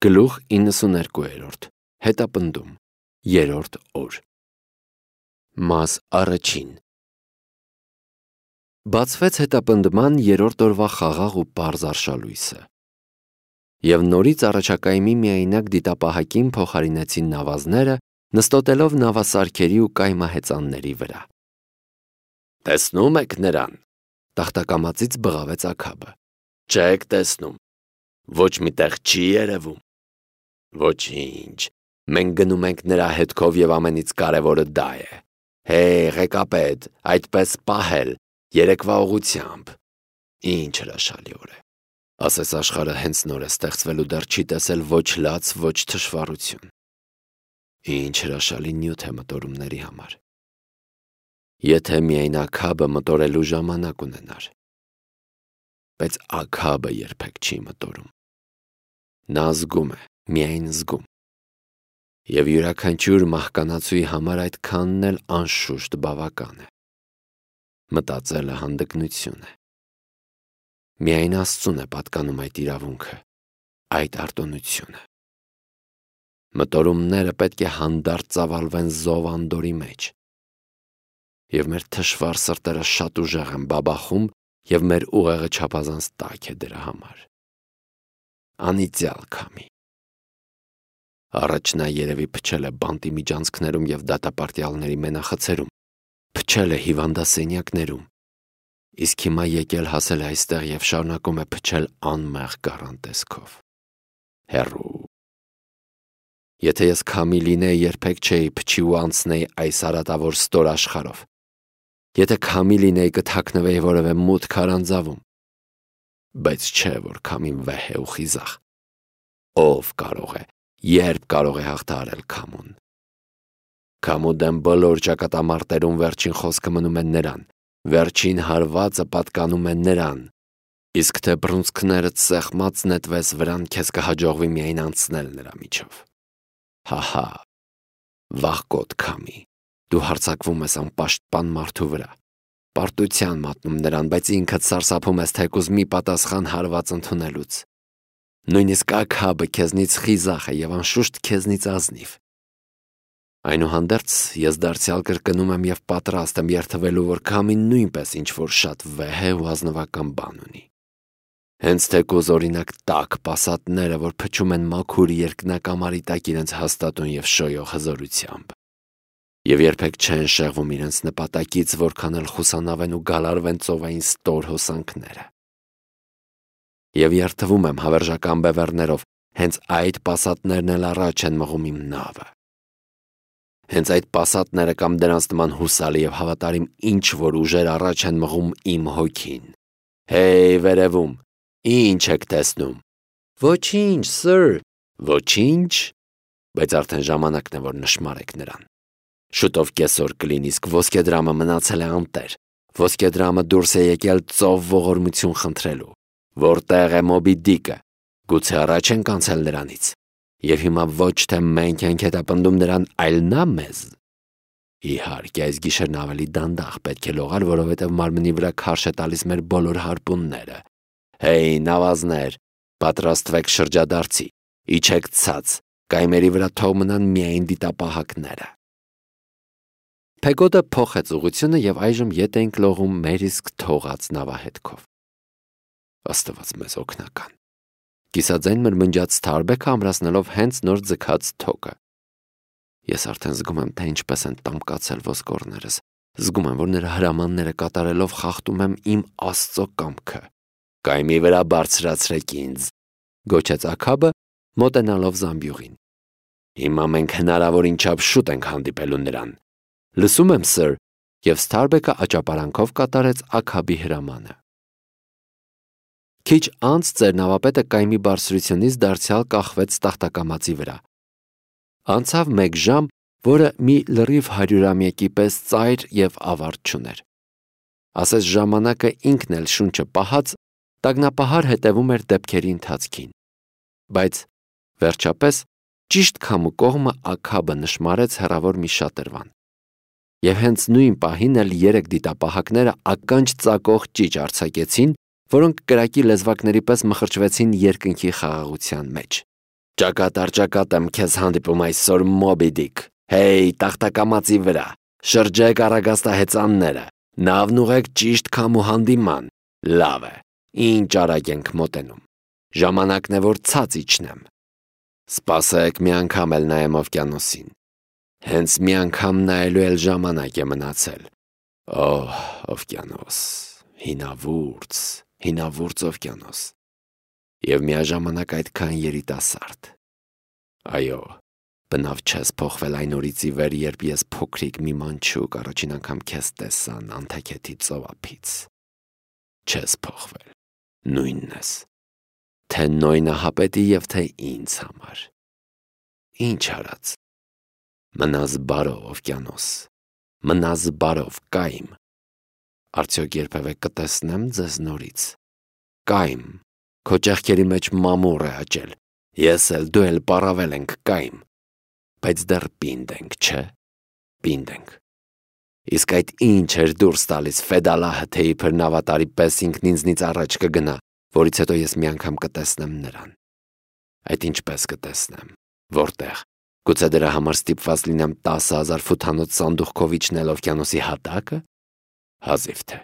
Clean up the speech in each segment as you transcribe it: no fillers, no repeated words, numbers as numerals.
Գլուխ 92 Հետապնդում 3-րդ օր Մաս առաջին Բացվեց հետապնդման 3-րդ օրվա խաղաղ ու պարզ արշալույսը և նորից առաջակայմի միայնակ դիտապահակին փոխարինեցին նավազները, նստոտելով նավասարքերի ու կայմահեծանների վրա։ «Տեսնում եք նրան», տախտակամածից բղավեց Աքաբը։ «Չեք տեսնում, ոչ մի տեղ չի երևում»։ «Ոչինչ, մենք գնում ենք նրա հետքով և ամենից կարևորը դա է։ Հեյ, ղեկապետ, այդպես պահել, երեկվա ուղղությամբ։ Ինչ հրաշալի օր է, ասես աշխարհը հենց նոր է ստեղծվել ու դեռ չի տեսել ոչ լաց, ոչ թշվառություն։ Ինչ հրաշալի նյութ է մտորումների համար։ Եթե միայն Աքաբը մտորելու ժամանակ ունենար։ Բայց Աքաբը երբեք չի մտորում։ Նա զգում է, միայն զգում։ Եվ յուրաքանչյուր մահկանացուի համար այդքանն էլ անշուշտ բավական է։ Մտածելը հանդգնություն է։ Միայն Աստծուն է պատկանում այդ իրավունքը, այդ արտոնությունը։ Մտորումները պետք է հանդարտ ծավալվեն զով անդորի մեջ։ Եվ մեր թշվառ սրտերը շատ ուժեղ են բաբախում և մեր ուղեղը չափազանց տաք է դրա համար։ Անիծյալ քամի։ Առաջ նա երևի փչել է բանտի միջանցքներում և դատապարտյալների մենախցերում, փչել է հիվանդասենյակներում, իսկ հիմա եկել հասել է այստեղ և շարունակում է փչել անմեղ գառան տեսքով։ Հեռու։ Եթե ես քամի լինեի, երբեք չէի փչի ու անցնեի այս արատավոր ստոր աշխարհով։ Եթե քամի լինեի, կթաքնվեի որևէ մութ քարանձավում։ Բայց չէ, որ քամին վեհ է ու խիզախ։ Ով կարող է, երբ կարող է հաղթահարել քամուն։ Քամու դեմ բոլոր ճակատամարտերում վերջին խոսքը մնում է նրան, վերջին հարվածը պատկանում է նրան, իսկ թե բռունցքներդ սեղմած նետվես վրան, քեզ կհաջողվի միայն անցնել նրա միջով։ Հահա, վախկոտ քամի, դու հարձակվում ես անպաշտպան մարդու վրա, պարտության մատնում նրան, բայց ինքդ սարսափում ես թեկուզ մի պատասխան հարված ընդունելուց։ Նույնիսկ Աքաբը քեզնից խիզախ է և անշուշտ քեզնից ազնիվ։ Այնուհանդերձ ես դարձյալ կրկնում եմ և պատրաստ եմ երդվելու, որ քամին նույնպես ինչ-որ շատ վեհ է ու ազնվական բան ունի։ Հենց թեկուզ օրինակ տաք պասատները, որ փչում են մաքուր երկնակամարի տակ իրենց հաստատուն և շոյող հզորությամբ։ Եվ երբեք չեն շեղվում իրենց նպատակից, որքան էլ խուսանավեն ու գալարվեն ծովային ստոր հոսանքները։ Եվ երդվում եմ հավերժական բևեռներով, հենց այդ պասատներն էլ առաջ են մղում իմ նավը։ Հենց այդ պասատները կամ դրանց նման հուսալի և հավատարիմ ինչ-որ ուժեր առաջ են մղում իմ հոգին։ Հեյ, վերևում, ինչ եք տեսնում։ Ոչինչ, սըր։ Ոչինչ։ Բայց արդեն ժամանակն է, որ նշմարեք նրան։ Շուտով կեսօր կլինի, իսկ ոսկեդրամը մնացել է անտեր։ Ոսկեդրամը դուրս է եկել ծով ողորմություն խնդրելու։ Որտեղ է Մոբի Դիկը։ Գուցե առաջ ենք անցել նրանից։ Եվ հիմա ոչ թե մենք ենք հետապնդում նրան, այլ նա մեզ։ Իհարկե, այս գիշերն ավելի դանդաղ պետք է լողալ, որովհետև մարմնի վրա քարշ է տալիս մեր բոլոր հարպունները։ Հեյ, նավազներ, պատրաստվեք շրջադարձի, իջեք ցած, կայմերի վրա թող մնան միայն դիտապահակները։ Փեգոդը փոխեց ուղղությունը և այժմ ետ էինք լողում մեր իսկ թողած նավահետքով։ Աստված մեզ օգնական։ Կիսաձայն մրմնջաց Սթարբեքը ամրացնելով հենց նոր ձգած թոկը։ Ես արդեն զգում եմ, թե ինչպես են տամկացել ոսկորներս։ Զգում եմ, որ նրա հրամանները կատարելով խախտում եմ իմ Աստծո կամքը։ Կայմի վրա բարձրացրեք ինձ, գոչեց Աքաբը, մոտենալով զամբյուղին։ Հիմա մենք հնարավորին չափ շուտ ենք հանդիպելու նրան։ Լսում եմ, սըր, և Սթարբեքը աճապարանքով կատարեց Աքաբի հրամանը։ Քիչ անց ձեր նավապետը կայմի բարձրությունից դարձյալ կախվեց տախտակամածի վրա։ Անցավ 1 ժամ, որը մի լրիվ 100-ամյակի պես ծայր և ավարտ չուներ։ Ասես ժամանակը ինքն էլ շունչը պահած, տագնապահար հետևում էր դեպքերի ընթացքին։ Բայց, վերջապես, ճիշտ քամու կողմը Աքաբը նշմարեց հեռավոր մի շատրվան։ Եվ հենց նույն պահին էլ 3 դիտապահակները ականջ ծակող ճիչ արձակեցին, որոնք կրակի լեզվակների պես մխրճվեցին երկնքի խաղաղության մեջ։ Ճակատ եմ քեզ հանդիպում այսօր Մոբի Դիկ, հեյ տախտակամածի վրա, շրջեք առագաստահեծանները, նավն ուղեք ճիշտ քամու հանդիման, լավ է, ինչ արագ ենք մոտենում, ժամանակն է որ ցած իջնեմ, սպասեք մի անգամ էլ նայեմ օվկիանոսին, հենց մի անգամ նայելու էլ ժամանակ է մնացել, օվկիանոս, հինավուրց օվկիանոս, և միաժամանակ այդքան երիտասարդ, այո, բնավ չես փոխվել այն օրից ի վեր, երբ ես փոքրիկ մի մանչուկ առաջին անգամ քեզ տեսա Նանթաքեթի ծովափից, չես փոխվել, նույնն ես, թե Նոյնահապետի և թե ինձ համար, ինչ արած, մնաս բարով օվկիանոս, մնաս բարով կայմ, արդյոք երբևէ կտեսնեմ ձեզ նորից, կայմ, քո ճեղքերի մեջ մամուռ է աճել, ես էլ դու էլ պառավել ենք կայմ, բայց դեռ պինդ ենք, չէ, պինդ ենք, իսկ այդ ինչ էր դուրս տալիս Ֆեդալահը, թե իբր նավատարի պես ինքն ինձնից առաջ կգնա, որից հետո ես մի անգամ կտեսնեմ նրան, այդ ինչպես կտեսնեմ, որտեղ, գուցե դրա համար ստիպված լինեմ 10,000 ֆութանոց սանդուղքով իջնել օվկիանոսի հատակը, հազիվ թե,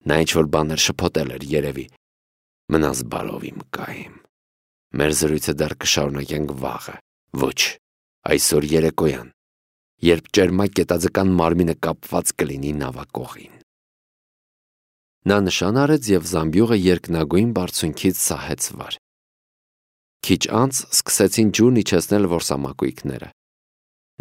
նա ինչ-որ բաներ շփոթել էր երևի, մնաս բարով իմ կայմ, մեր զրույցը դեռ կշարունակենք վաղը, ոչ, այսօր երեկոյան, երբ ճերմակ գետաձկան մարմինը կապված կլինի նավակողին։ Նա նշան արեց և զամբյուղը երկնագույն բարձունքից սահեց վար։ Քիչ անց սկսեցին ջուրն իջեցնել որսամակույկները։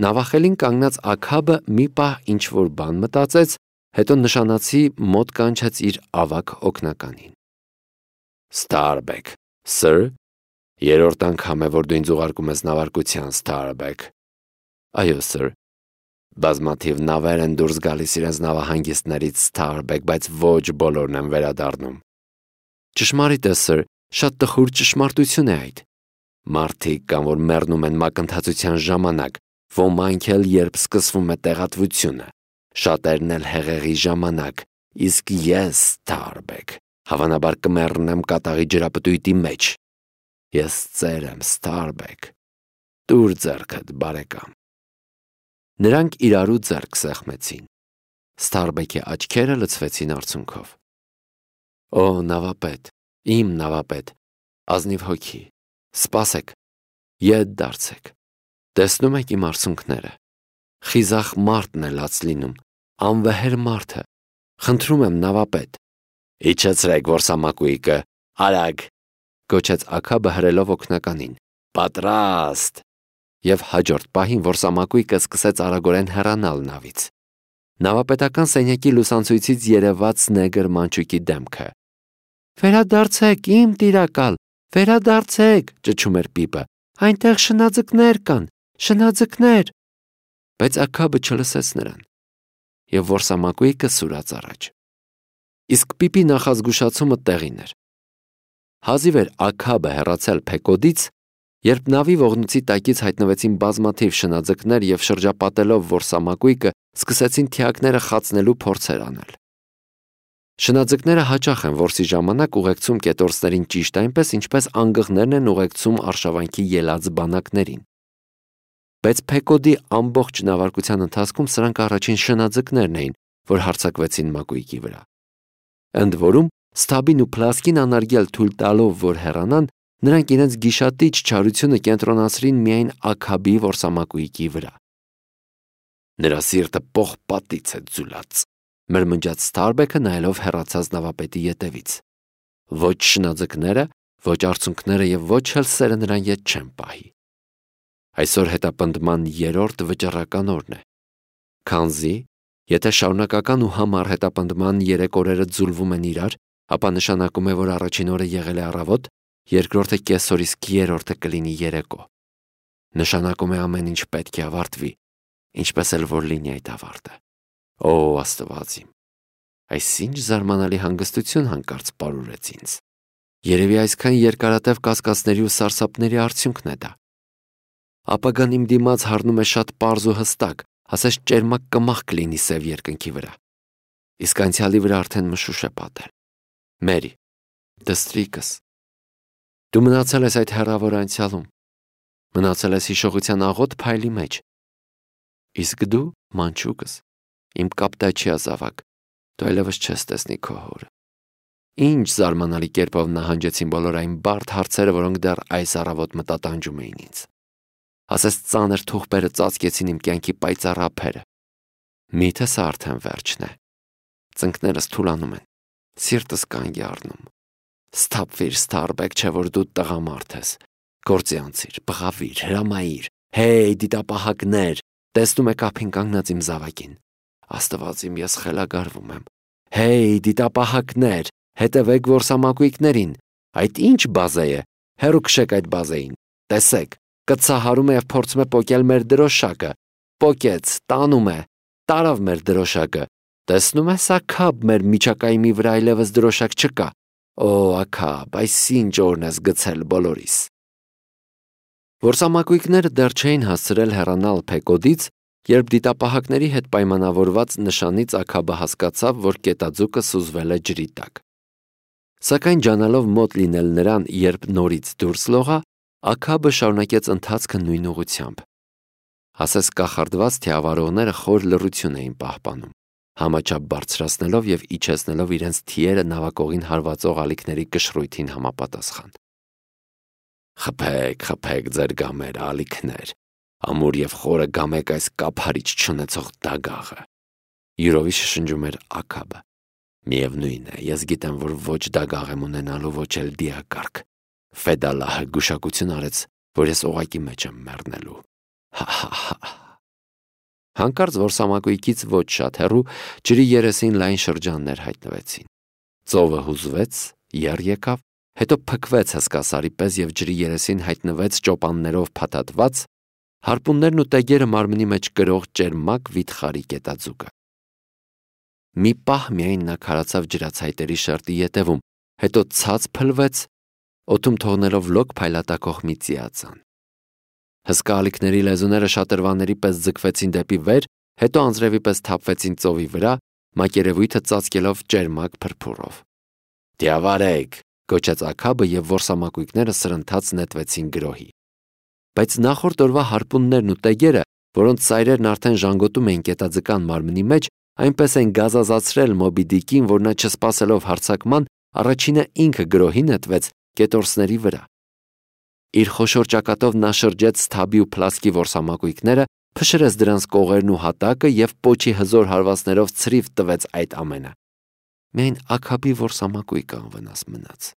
Նավախելին կանգնած Աքաբը մի պահ ինչ-որ բան մտածեց, հետո նշանացի մոտ կանչեց իր ավագ օգնականին։ Starbeck, sir, երրորդ անգամ է, որ դու ինձ ուղարկում ես նավարկության, Starbeck։ Այո, sir։ Բազմաթիվ նավեր են դուրս գալիս իրենց նավահանգիստներից Starbeck, բայց ոչ բոլորն են վերադառնում։ Ճշմարիտ է, sir, շատ տխուր ճշմարտություն է այդ։ Մարդիկ կան, որ մեռնում են մակընթացության ժամանակ, ոմանք էլ երբ սկսվում է տեղատվությունը, շատերն էլ հեղեղի ժամանակ, իսկ ես, Starbeck, հավանաբար կմեռնեմ կատաղի ջրապտույտի մեջ։ Ես ծեր եմ, Starbeck, տուր ձեռքդ, բարեկամ։ Նրանք իրարու ձեռք սեղմեցին։ Starbeck-ի աչքերը լցվեցին արցունքով։ Օ, նավապետ, իմ նավապետ, ազնիվ հոգի, սպասեք, ետ դարձեք, տեսնում եք իմ արցունքները, խիզախ մարդն է լաց լինում, անվեհեր մարդը, խնդրում եմ նավապետ, իջեցրեք որսամակույկը, արագ, գոչեց Աքաբը հրելով օգնականին, պատրաստ, և հաջորդ պահին որսամակույկը սկսեց արագորեն հեռանալ նավից։ Նավապետական սենյակի լուսանցույցից երևաց նեգր մանչուկի դեմքը։ Վերադարձեք, իմ տիրակալ, վերադարձեք, ճչում էր Պիպը, այնտեղ շնաձկներ կան, շնաձկներ։ Բայց Աքաբը չլսեց նրան, և որսամակույկը սուրաց առաջ։ Իսկ Պիպի նախազգուշացումը տեղին էր։ Հազիվ էր Աքաբը հեռացել Փեկոդից, երբ նավի ողնույցի տակից հայտնվեցին բազմաթիվ շնաձկներ և շրջապատելով որսամակույկը սկսեցին թիակները խացնելու փորձեր անել։ Շնաձկները հաճախ են որսի ժամանակ ուղեկցում կետորսներին ճիշտ այնպես, ինչպես անգղներն են ուղեկցում արշավանքի ելած բանակներին։ Բայց Փեկոդի ամբողջ նավարկության ընթացքում սրանք առաջին շնաձկներն էին, որ հարձակվեցին մակույկի վրա։ Ընդ որում, Սթաբին ու Փլասկին անարգել թույլ տալով, որ հեռանան, նրանք իրենց գիշատիչ չարությունը կենտրոնացրին միայն Աքաբի որսամակույկի վրա։ Նրա սիրտը պողպատից է ձուլած, մրմնջաց Starbeck-ը նայելով հեռացած նավապետի ետևից։ Ոչ շնաձկները, ոչ արցունքները և ոչ էլ սերը նրան ետ չեն պահի։ Այսօր հետապնդման երրորդ վճռական օրն է։ Քանզի, եթե շարունակական ու համառ հետապնդման 3 օրերը ձուլվում են իրար, ապա նշանակում է, որ առաջին օրը եղել է առավոտ, երկրորդը կեսօր, իսկ երրորդը կլինի երեկո։ Նշանակում է ամեն ինչ պետք է ավարտվի, ինչպես էլ որ լինի այդ ավարտը։ Օ, Աստված իմ, այսինչ զարմանալի հանգստություն հանկարծ պարուրեց ինձ։ Երևի այսքան երկարատև կասկածների ու սարսափների արդյունքն է դա։ Ապագան իմ դիմաց հառնում է շատ պարզ ու հստակ, ասես ճերմակ կմախք լինի սև երկնքի վրա։ Իսկ անցյալի վրա արդեն մշուշ է պատել։ Մերի, դստրիկս, դու մնացել ես այդ հեռավոր անցյալում, Մնացել ես հիշողության աղոտ փայլի մեջ։ Իսկ դու, մանչուկս, իմ կապտաչյա զավակ, դու այլևս չես տեսնի քո հորը։ Ինչ զարմանալի կերպով նահանջեցին բոլոր այն բարդ հարցերը, որոնք դեռ այս առավոտ մտատանջում էին ինձ։ Ասես ծանր թուղթերը ծածկեցին իմ կյանքի պայծառ ափերը։ Միթե սա արդեն վերջն է։ Ծնկներս թուլանում են, սիրտս կանգ է առնում։ Սթափվիր, Ստարբեկ, չէ որ դու տղամարդ ես։ Գործի անցիր, բղավիր, հրամայիր։ Հեյ, դիտապահակներ, տեսնում եք ափին կանգնած իմ զավակին։ Աստված իմ, ես խելագարվում եմ։ Հեյ, դիտապահակներ, հետևեք որսամակույկներին։ Այդ ինչ բազե է։ Հեռու քշեք այդ բազեին։ Տեսեք, կցահարում է եւ փորձում է պոկել մեր դրոշակը։ Պոկեց, տանում է, տարավ մեր դրոշակը։ Տեսնում ես, Աքաբ, մեր միջակայմի վրա այլևս դրոշակ չկա։ Օ, Աքաբ, այս ինչ օրն ես գցել բոլորիս։ Որսամակույկները դեռ չէին հասցրել հեռանալ Փեկոդից, երբ դիտապահակների հետ պայմանավորված նշանից Աքաբը հասկացավ, որ կետաձուկը սուզվել է ջրի տակ։ Սակայն ջանալով մոտ լինել նրան, երբ նորից դուրս լողա, Աքաբը շարունակեց ընթացքը նույն ուղղությամբ։ Ասես կախարդված թիավարողները խոր լռություն էին պահպանում, համաչափ բարձրացնելով եւ իջեցնելով իրենց թիերը նավակողին հարվածող ալիքների կշռույթին համապատասխան։ Խփեք, խփեք ձեր գամերը, ալիքներ, ամուր եւ խորը գամեք այս կափարիչ չունեցող դագաղը։ Յուրովի շշնջում էր Աքաբը։ Միևնույն է, ես գիտեմ, որ ոչ դագաղ եմ ունենալու, ոչ էլ դիակարգ։ Ֆեդալահը գուշակություն արեց, որ ես օղակի մեջ եմ մեռնելու։ Հա։ Հանկարծ որսամակույկից ոչ շատ հեռու ջրի երեսին լայն շրջաններ հայտնվեցին։ Ծովը հուզվեց, եռ եկավ, հետո փքվեց հսկասարի պես եւ ջրի երեսին հայտնվեց ճոպաններով փաթաթված, հարպուններն ու տեգերը մարմնի մեջ կրող ճերմակ վիթխարի կետաձուկը։ Մի պահ միայն նա քարացավ ջրացայտերի շերտի ետևում, հետո ցած փլվեց, օդում թողնելով լոկ փայլատակող մի ծիածան։ Հսկա ալիքների լեզուները շատրվանների պես ձգվեցին դեպի վեր, հետո անձրևի պես թափվեցին ծովի վրա, մակերևույթը ծածկելով ճերմակ փրփուրով։ Դիավարեք, գոչեց Աքաբը եւ որսամակույկները սրընթաց նետվեցին գրոհի։ Բայց նախորդ օրվա հարպուններն ու տեգերը, որոնց ծայրերն արդեն ժանգոտում էին կետաձկան մարմնի մեջ, այնպես են գազազացրել Մոբի Դիկին, որ նա չսպասելով հարձակման, առաջինը ինքը գրոհի նետվեց կետորսների վրա։ Իր խոշոր ճակատով նա շրջեց Սթաբի ու Փլասկի որսամակույկները, փշրեց դրանց կողերն ու հատակը եւ պոչի հզոր հարվածներով ցրիվ տվեց այդ ամենը։ Միայն Աքաբի որսամակույկը անվնաս մնաց։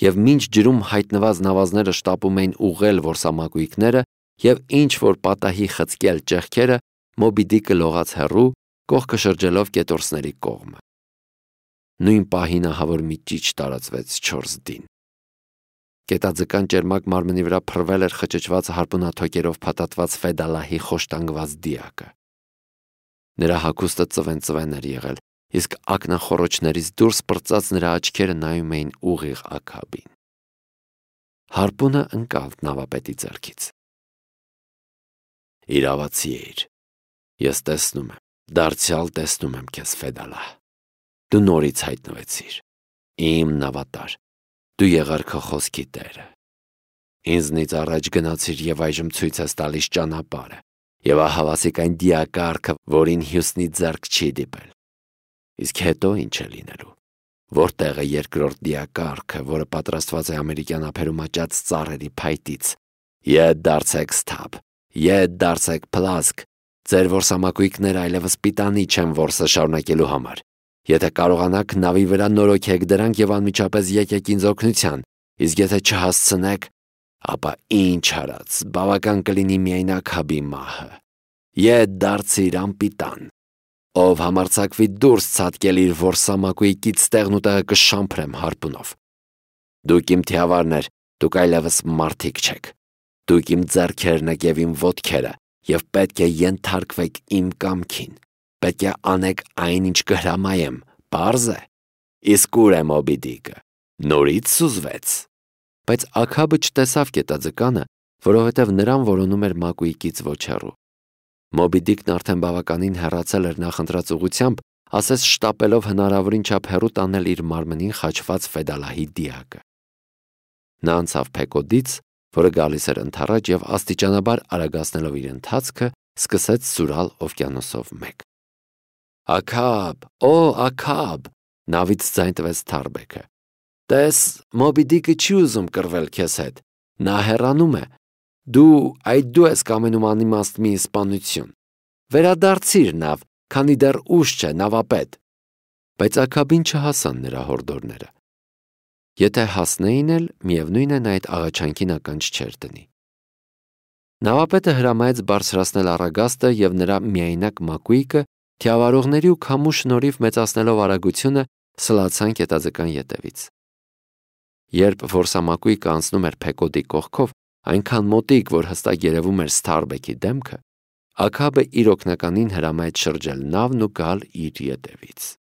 Եվ մինչ ջրում հայտնված նավազները շտապում էին ուղղել որսամակույկները եւ ինչ որ պատահի խցկել ճեղքերը, Մոբի Դիկը լողաց հեռու, կողքը շրջելով կետորսների կողմը։ Նույն պահին ահավոր մի ճիչ տարածվեց 4 դին։ Կետաձկան ճերմակ մարմնի վրա փռվել էր խճճված հարպունաթոկերով փաթաթված Ֆեդալահի խոշտանգված դիակը։ Նրա հագուստը ծվեն էր եղել, իսկ ակնախոռոչներից դուրս պրծած նրա աչքերը նայում էին ուղիղ Աքաբին։ Հարպունը ընկավ նավապետի ձեռքից։ Իրավացի էիր։ Ես տեսնում եմ, դարձյալ տեսնում եմ քեզ, Ֆեդալահ։ Դու նորից հայտնվեցիր։ Իմ նավատար, դու եղար քո խոսքի տերը։ Ինձնից առաջ գնացիր եւ այժմ ցույց ես տալիս ճանապարհը, եւ ահավասիկ այն դիակարգը, որին Հյուսնի ձեռք չի դիպել։ Իսկ հետո ինչ է լինելու։ Որտեղ է երկրորդ դիակարգը, որը պատրաստված է ամերիկյան ափերում աճած ծառերի փայտից։ Ետ դարձեք Սթաբ, ետ դարձեք Փլասկ։ Ձեր որսամակույկները այլևս պիտանի չեն որսը շարունակելու համար։ Եթե կարողանաք նավի վրա նորոգեք դրանք եւ անմիջապես եկեք ինձ օգնության, իսկ եթե չհասցնեք, ապա ինչ արած, բավական կլինի միայն Աքաբի մահը։ Ետ դարձիր անպիտան։ Ով համարձակվի դուրս ցատկել իր որսամակույկից տեղն ու տեղը կշամփրեմ հարպունով։ Դուք իմ թիավարներ, դուք այլևս մարդիկ չեք։ Դուք իմ ձեռքերն եք եւ իմ ոտքերը, եւ պետք է ենթարկվեք իմ կամքին։ Պետք է անեք այն, ինչ կհրամայեմ, պարզ է։ Իսկ ուր է Մոբի Դիկը։ Նորից սուզվեց։ Բայց Աքաբը չտեսավ կետաձկանը, որովհետև նրան որոնում էր մակույկից ոչ հեռու։ Մոբի Դիկն արդեն բավականին հեռացել էր նախընտրած ուղղությամբ, ասես շտապելով հնարավորին չափ հեռու տանել իր մարմնին խաչված Ֆեդալահի դիակը։ Նա անցավ Փեկոդից, որը գալիս էր ընդառաջ եւ աստիճանաբար արագացնելով իր ընթացքը, սկսեց սուրալ օվկիանոսով մեկ։ «Աքաբ, օ Աքաբ», նավից ձայն տվեց Թարբեկը։ «Տես, Մոբի Դիկը չի ուզում կռվել քեզ հետ, նա հեռանում է։ Դու ես կամենում անիմաստ մի սպանություն։ Վերադարձիր նավ, քանի դեռ ուշ չէ, նավապետ»։ Բայց Աքաբին չհասան նրա հորդորները։ Եթե հասնեին էլ, միևնույն է, նա այդ աղաչանքին ականջ չէր դնի։ Նավապետը հրամայեց բարձրացնել առագաստը եւ նրա միայնակ մակույկը, թիավարողների ու քամու շնորհիվ մեծացնելով արագությունը, սլացան կետաձկան ետևից։ Երբ որսամակույկը անցնում էր Փեկոդի կողքով, այնքան մոտիկ, որ հստակ երևում էր Սթարբեկի դեմքը, Աքաբը իր օգնականին հրամայեց շրջել նավն ու գալ իր ետևից։